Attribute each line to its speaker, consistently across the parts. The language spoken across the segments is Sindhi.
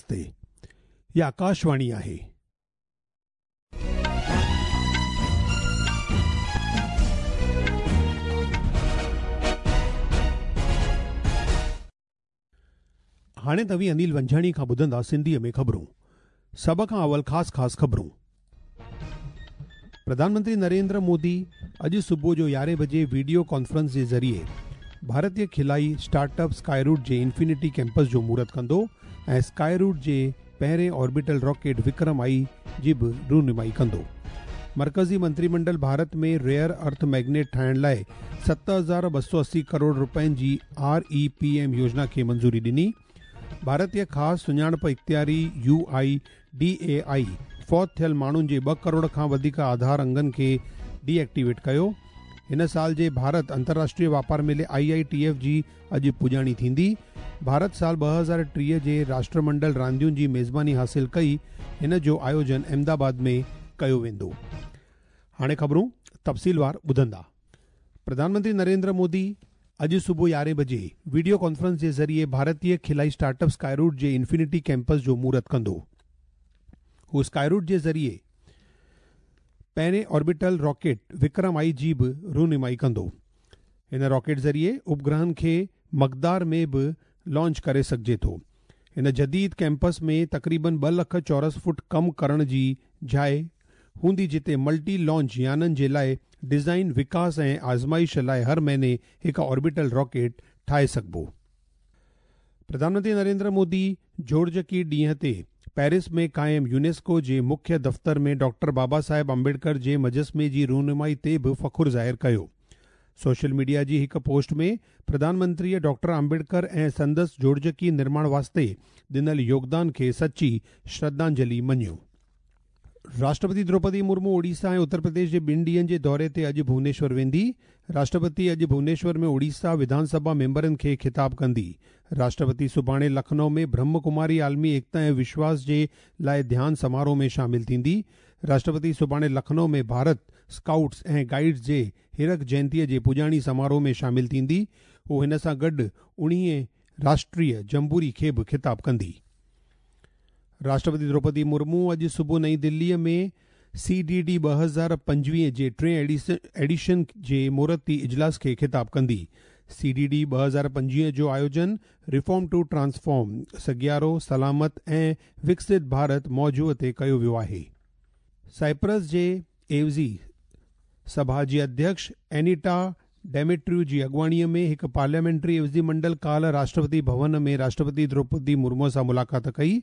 Speaker 1: نمستي. هي آڪاشواڻي آهي. هاڻي توهين انيل ونجهاڻي کان ٻڌندا سنڌيء ۾ خبرون. سڀ کان اول خاص خاص خبرون. پرڌان منتري نريندر مودي اڄ صبح جو يارهين بجي وڊيو ڪانفرنس جي ذريعي ڀارتي خلائي اسٽارٽ اپ اسڪائي روٽ جي انفنٽي ڪيمپس جو مهورت ڪندو ۽ اسڪائي روٽ جي پهرين آربيٽل راڪيٽ وڪرم آئي جي به رونمائي ڪندو. مرڪزي منتري منڊل ڀارت ۾ ريئر ارٿ ميگنيٽ ٺاهڻ لاء 7280 ڪروڙ رپين جي آر اي پي ايم يوجنا کي منظوري ڏني. ڀارتي خاص سڃاڻپ اختياري U I D A I فوت ٿيل ماڻهن جي ٻه ڪروڙ کان وڌيڪ آڌار انگن کي ڊي ايڪٽيويٽ ڪيو. هن سال جي ڀارت انترراشٽريه واپار ميلي آء آء ٽي ايف جي اڄ پڄاڻي ٿيندي. ڀارت سال 2030 جي راشٽرمنڊل راندين جي ميزباني حاصل ڪئي، هن جو آيوجن احمد آباد ۾ ڪيو ويندو. هاڻي خبرون تفصيلوار ٻڌندا. پرڌان منتري نريندر مودي اڄ صبح يارهين بجي وڊيو ڪانفرنس جي ذريعي ڀارتي خلائي اسٽارٽ اپ اسڪائي روٽ جي انفنٽي ڪيمپس جو مهورت ڪندو. هو اسڪائي روٽ جي ذريعي پهرين آربيٽل راڪيٽ وڪرم آئي جي به رونمائي ڪندو. هن راڪيٽ ذريعي اپگرهن کي مقدار ۾ به لانچ ڪري سگهجي ٿو. هن جديد ڪيمپس ۾ تقريبن ٻه لک چورس فوٽ ڪم ڪرڻ جي جاء هوندي جتي ملٽي لانچ يانن جي لاء ڊزائين، وڪاس ۽ آزمائش لاء هر مهيني هڪ آربيٽل راڪيٽ ٺاهي سگهبو. پرڌان منتري نريندر مودي جوڙجڪي ڏينهن تي پيرس ۾ قائم يونيسڪو جي مکيه دفتر ۾ ڊاڪٽر بابا صاحب امبيڊڪر جي مجسمي جي رونمائي تي به فخر ظاهر ڪيو. سوشل ميڊيا جي هڪ پوسٽ ۾ پرڌان منتريء ڊاڪٽر امبيڊڪر ۽ سندس جوڙجڪي نرماڻ واسطي ڏنل يوگدان کي سچي شرڌانجلي مڃيو. راشٽرپتي دروپدي مرمو اوڙيسا ۽ اتر پرديش جي ٻن ڏينهن جي دوري تي اڄ ڀونيشور ويندي. راشٽرپتي اڄ ڀونيشور ۾ اوڙيسا وڌان سڀا ميمبرن کي خطاب ڪندي. راشٽرپتي سڀاڻي لکنؤ ۾ برهم ڪماري عالمي ايڪتا ۽ وشواس جي لاء ڌيان سماروهه ۾ شامل ٿيندي. راشٽرپتي سڀاڻي لکنؤ ۾ ڀارت اسڪائوٽس ۽ گائيڊز جي هيرڪ جينتيء جي پڄاڻي سماروهه ۾ شامل ٿيندي. هو هن سان گڏ اڻيهين راشٽريه جمبوري کي به خطاب ڪندي. راشٽرپتي دروپدي مرمو اڄ صبح نئين دليء ۾ سي ڊي ڊي 2025 جي ٽئين ايڊيشن جي مهورتي اجلاس کي خطاب ڪندي. سي ڊي ڊي 2025 جو آيوجن ريفارم ٽو ٽرانسفارم، سگيارو، سلامت ۽ وڪست ڀارت موضوع تي ڪيو ويو آهي. سائپرس جي عيوضي سڀا جي اڌيڪش اينيٽا ڊيميٽريو جي اڳواڻيء ۾ هڪ پارليامينٽري عيوضي منڊل ڪالهه راشٽرپتي ڀون ۾ راشٽرپتي دروپدي مرمو سان ملاقات ڪئي.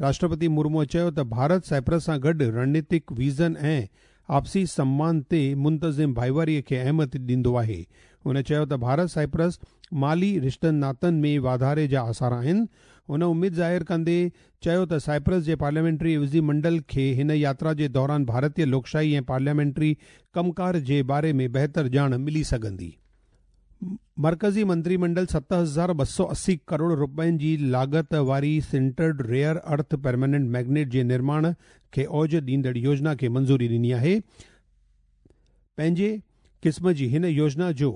Speaker 1: راشٽرپتي مرموء چيو ته ڀارت سائپرس سان گڏ رڻنيتڪ ويزن ۽ آپسي سمان تي منتظم ڀائيواري کي اهميت ڏيندو آهي. هن چيو ته ڀارت سائپرس مالي رشتن ناتن ۾ واڌاري جا آثار آهن. هن اميد ظاهر ڪندي چيو ته سائپرس جي پارليامينٽري عيوضي منڊل کي هن ياترا جي دوران ڀارتي لوڪشاهي ۽ پارليامينٽري ڪم ڪار جي باري ۾ بهتر ڄاڻ ملي سگهندي. مرڪزي منتري منڊل 7280 ڪروڙ رپين جي لاڳت واري sintered rare earth permanent magnet جي نرماڻ کي اوج ڏيندڙ يوجنا کي منظوري ڏني آهي. پنهنجي قسم جي هن يوجنا جو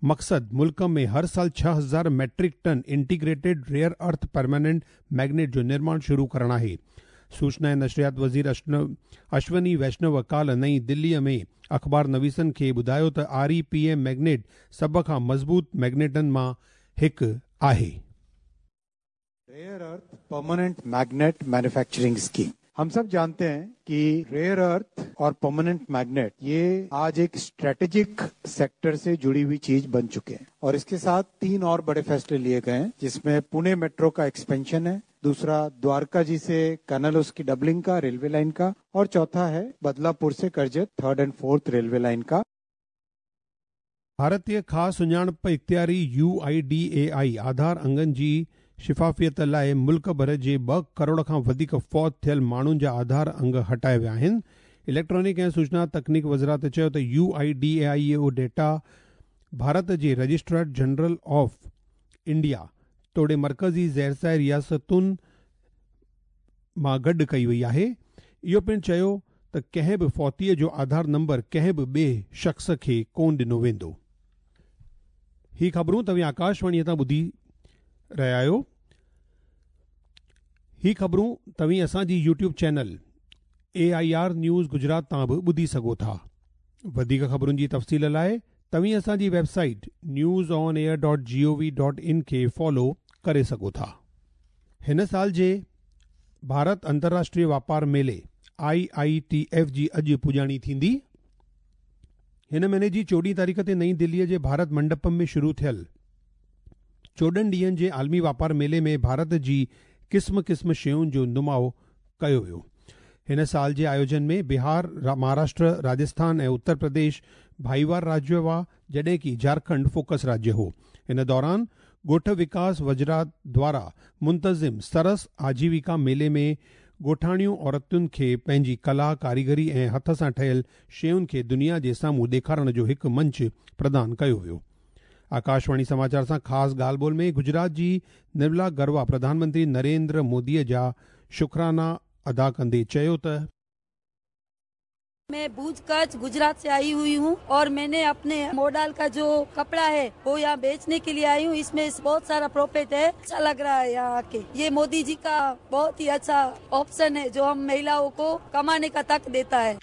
Speaker 1: مقصد ملڪ ۾ هر سال 6000 metric ton integrated rare earth permanent magnet جو نرماڻ شروع ڪرڻ آهي. سوچنا ۽ نشريات وزير اشوني ويشنو ڪالهه نئين دليء ۾ اخبار نويسن کي ٻڌايو ته آر اي پي ايم ميگنيٽ سڀ کان مضبوط ميگنيٽن مان هڪ آهي.
Speaker 2: Rare earth permanent magnet manufacturing scheme हम सब जानते हैं कि रेयर अर्थ और परमानेंट मैग्नेट ये आज एक स्ट्रेटेजिक सेक्टर से जुड़ी हुई चीज बन चुके हैं और इसके साथ तीन और बड़े फैसले लिए गए हैं, जिसमें पुणे मेट्रो का एक्सपेंशन है, दूसरा द्वारका जी से कनल उसकी डबलिंग का रेलवे लाइन का, और चौथा है बदलापुर से Karjat third and fourth railway line का।
Speaker 1: ڀارتي خاص سڃاڻپ اختياري U I D A I Aadhaar انگن جي شفافيت لاء ملڪ ڀر جي ٻه ڪروڙ کان وڌيڪ فوت ٿيل ماڻهن جا آڌار انگ هٽايا ويا آهن. اليڪٽرانڪ ۽ سوچنا تڪنيڪ وزارت چيو ته U I D A I اهو ڊيٽا ڀارت جي رجسٽرار جنرل آف انڊيا توڙي مرڪزي زيرسائي رياستن مان گڏ ڪئي وئي آهي. اهو پڻ چيو ته ڪنهن به فوتيء جو آڌار نمبر ڪنهن به ٻئي شخص کي ڪونه ڏنو ويندو. هي خبرون توهين آڪاشواڻيء تان ٻڌي رهيا آهيو. هي خبرون توهين اسان جي YouTube channel A I R news Gujarat تان به ٻڌي سگهو ٿا. وڌيڪ خبرن جي تفصيل لاء توهين اسان جي website news on air dot G O V dot in کي فالو ڪري سگهو ٿا. هن سال جي ڀارت انترراشٽريه واپار ميلي آء I T F جي اڄ پڄاڻي ٿيندي. هن مهيني جي چوڏهين تاريخ تي نئين دهليء جي ڀارت منڊپم ۾ شروع ٿيل 14 ڏينهن جي عالمي واپار ميلي ۾ ڀارت جي قسم قسم شين جو نماء ڪيو ويو. هن سال جي آيوجن ۾ بهار، مهاراشٽر، راجسٿان ۽ اتر پرديش ڀائيوار راجيه هئا، جڏهن ڪي جهارکنڊ فوڪس راجيه هو. ان دوران ڳوٺ وڪاس وزارت دوارا منتظم سرس آجيويڪا ميلي ۾ ڳوٺاڻيون عورتن کي پنهنجي ڪلا، ڪاريگري ۽ هٿ سان ٺهيل شين کي دنيا جي سامهون ڏيکارڻ جو هڪ منچ پردان ڪيو ويو. آڪاشواڻي سماچار سان خاص ڳالهه ٻولهه ۾ گجرات جي نرملا گروا پرڌان منتري نريندر مودي جا شڪرانا ادا ڪندي چيو ته.
Speaker 3: मैं भुज कच्छ गुजरात से आई हुई हूँ और मैंने अपने मोडाल का जो कपड़ा है वो यहाँ बेचने के लिए आई हूँ। इसमें बहुत सारा प्रॉफिट है। अच्छा लग रहा है यहाँ आके। ये मोदी जी का बहुत ही अच्छा ऑप्शन है जो हम महिलाओं को कमाने का तक देता है।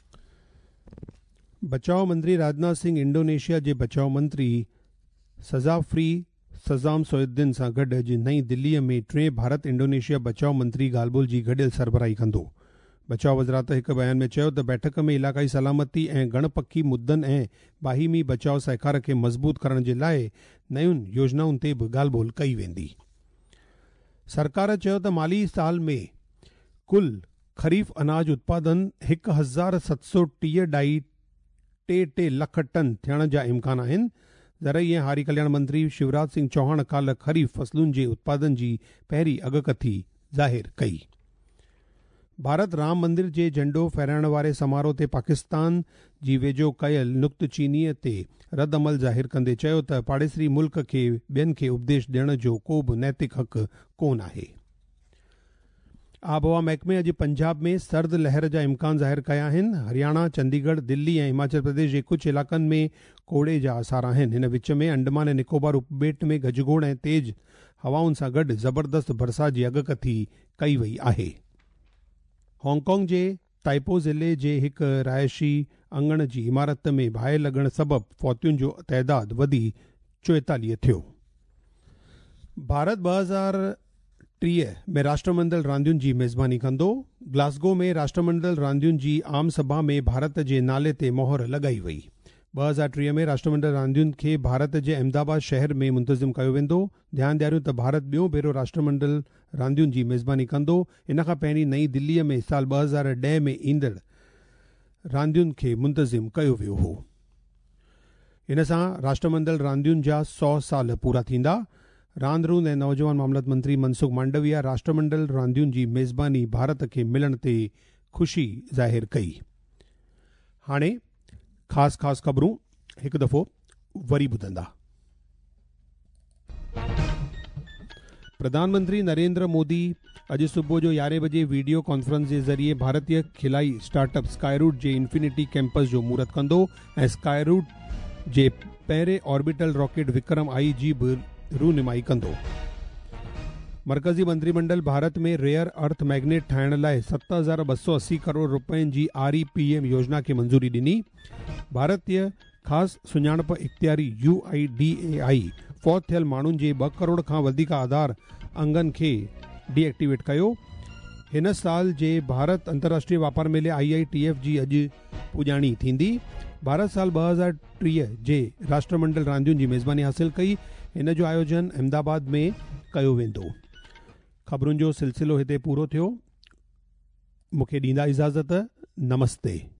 Speaker 1: बचाव मंत्री राजनाथ सिंह इंडोनेशिया जे बचाव मंत्री सजाफ्री सज़ाम सोयुद्दीन सां गॾु अॼु नई दिल्लीअ में टे भारत इंडोनेशिया बचाव मंत्री ॻाल्हि ॿोल जी गॾियल सरबराही कंदो। बचाव वज़ारत हिकु बयान में चयो त बैठक में इलाक़ाई सलामती ऐं गणपखी मुद्दनि ऐं बाहिमी बचाव सहकार खे मज़बूत करण जे लाइ नयुनि योजनाउनि ते बि ॻाल्हि ॿोल कई वेंदी। सरकार चयो त माली साल में कुल ख़रीफ़ अनाज उत्पादन 1730.33 लख टन थियण जा इम्कान आहिनि। ज़रई ऐं हारी कल्याण मंत्री शिवराज सिंह चौहान काल्ह ख़रीफ़ फसलुनि जे उत्पादन जी पहिरीं अॻकथी ज़ाहिर कई। भारत राम मंदिर जे झंडो फहिराइण वारे समारोह ते पाकिस्तान जी वेझो कयल नुक्तचीनीअ ते रद्द अमल ज़ाहिर कंदे चयो त पाड़ेसरी मुल्क खे ॿियनि खे उपदेश ॾियण जो को बि नैतिक हक़ कोन आहे। आबहवा महकमे अॼु पंजाब में सर्द लहर जा इम्कान ज़ाहिर कया आहिनि। हरियाणा, चंडीगढ़, दिल्ली ऐं हिमाचल प्रदेश जे कुझु इलाइक़नि में कोड़े जा आसार आहिनि। हिन विच में अंडमान ऐं निकोबार उपॿेट में गजगोड़ ऐं तेज़ हवाउनि सां गॾु ज़बरदस्त बरसाति जी अॻकथी कई वई आहे। हांगकांग जे ताइपो ज़िले जे हिकु रिहाइशी अंगण जी इमारत में बाहि लॻण सबबु फौतियुनि जो ताइदाद वधी 44 थियो। भारत 2030 में राष्ट्रमंडल रांदियुनि जी मेज़बानी कंदो। ग्लासगो में राष्ट्रमंडल रांदियुनि जी आम सभा में भारत जे नाले ते मोहर लॻाई वई। 2030 में राष्ट्रमंडल रांदियुनि खे भारत जे अहमदाबाद शहर में मुंतज़िम कयो वेंदो। ध्यानु ॾियारियूं त भारत ॿियो भेरो राष्ट्रमंडल रांदियुनि जी मेज़बानी कंदो। इन खां पहिरीं नई दिल्लीअ में साल 2010 में ईंदड़ रांदियुनि खे मुंतज़िम कयो वियो हो। इन सां राष्ट्रमंडल रांदियुनि जा 100 साल पूरा थींदा। रांदि रूंद ऐं नौजवान मामलत मंत्री मनसुख मांडविया राष्ट्रमंडल रांदियुनि जी मेज़बानी भारत खे मिलण ते ख़ुशी ज़ाहिर कई। हाणे ख़ासि ख़ासि ख़बरूं हिकु दफ़ो वरी ॿुधंदा। प्रधानमंत्री नरेंद्र मोदी अॼु सुबुह जो 11 बजे वीडियो कॉन्फ्रेंस जे ज़रिए भारतीय खिलाई स्टार्टअप स्काईरूट जे इन्फिनिटी कैंपस जो मुहूर्त कंदो ऐं स्काईरूट जे पहिरें ऑर्बिटल रॉकेट विक्रम आई जी बि रूनुमाई कंदो। मरकज़ी मंत्रीमंडल भारत में रेयर अर्थ मैग्नेट ठाहिण लाइ 7280 करोड़ रुपयनि जी REPM योजना खे मंज़ूरी ॾिनी। भारतीय ख़ासि सुञाणप इख़्तियारी UIDAI फौत थियल माण्हुनि जे 2 करोड़ खां वधीक आधार अंगनि खे डीएक्टिवेट कयो। हिन साल जे भारत अंतर्राष्ट्रीय वापार मेले IITF जी अॼु पुॼाणी थींदी। भारत साल 2030 जे राष्ट्रमंडल रांदियुनि जी मेज़बानी हासिल कई। हिन जो आयोजन अहमदाबाद में कयो वेंदो। ख़बरुनि जो सिलसिलो हिते पूरो थियो। मूंखे ॾींदा इजाज़त। नमस्ते।